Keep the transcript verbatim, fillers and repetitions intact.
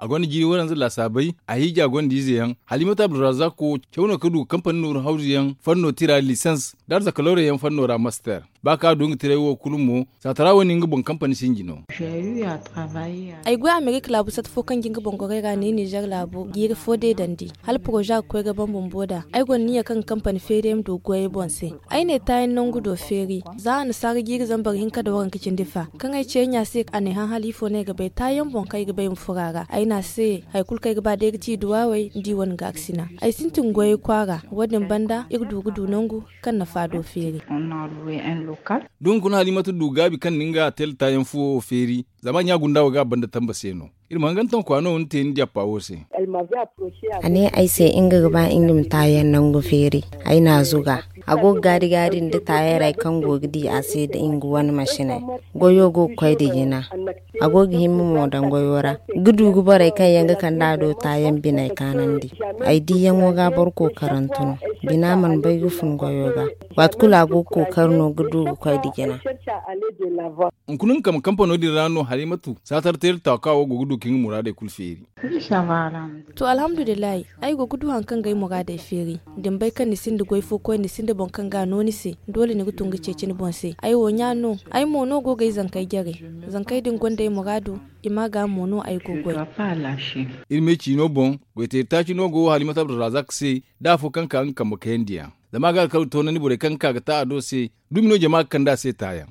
a gonda jiiri waranza laasaabey, a hiija gonda ize yaŋ. Halimatu abdurrazak wo caw no ka du ga kampani nooru hawzu yaŋ fanno tira lisans, da arzaka lawra yaŋ fanno ra master. Ba kaŋ a du nga tiray wo kulu mo, saatara wo ni nga boŋ kampani sinji no. Ay goy amerika laabu sata fo kaŋ ga nga boŋ gorey ra ne nizer laabu jiiri fo deedandi, hala poroza ga koy ga ban bumbo nd'a. Ay gonda niya kaŋ ga kampani feeri ay ma du ga goy ay boŋ se. Ay ne taayaŋ nangu do feeri, za annasaara jiiri zambar hinka nda waranka cindi fa. Kaŋ ay ceeri ɲa se, a ne hã hala ifo no ay ga bay taayaŋ boŋ kaŋ ay ga bay ma furo a ra. Ay ne a se, hari kulu kaŋ ay ga ba day ga ci duwawey nda i wane gaarisina. Ay sintin goyey kwaara. Wo- din banda iri du ga du nangu kaŋ na faado feeri. Da hunkuna halimatu du gaabi kaŋ na nga teel taayaŋ fuwo wo feeri, zama ɲa gunda wo ga a banda tamba se no. Iri ma hangantaŋ kwaano wo ni te ni jappa wo se. A ne ay se nga ga ba nga ma taayaŋ nangu feeri. Ay n'a zuga. A go ga gaari-gaari nda taayaŋ ra kaŋ go ga di a se nda nga wane masiney. Goyo go ga koy nda jina. A go ga himma mo daŋ goyo ra. Ga du ga borey kaŋ yaŋ ga kande a do taayaŋ biney kaanandi. Ay diyaŋo ga boro kookarantu no. Bina mana bay ga fun goyo ga. Waati kulu a go ga kookari no ga du ga koy nda jina. Hunkuna nga kambe kampano din ra no halimatu saatar teeri taaka wo go ga du ka nga muraadey kulu feeri. To alhamdulillahi, ay go ga du hari kaŋ ga ay muraadey feeri. Da ni bay kaŋ ni sinda goy fo koy ni sinda boŋ kaŋ ga a no ni se, doole ni ga tun ga ceeci ni boŋ se. Ay wo ɲa no. Ay mo no go ga ay zankey jare. Zankey din gonda ay muraadu. I ma ga mo no ay go goy. Iri me ciino boŋ, goyteeri taaci no go halimatu abdurrazak se, da afo kaŋ ka nga kambe kayandiyaŋ. Zama a ga alkawli toonandi borey kaŋ ga ka ga ta a do se. Dumi no jama ga kande a se taayaŋ.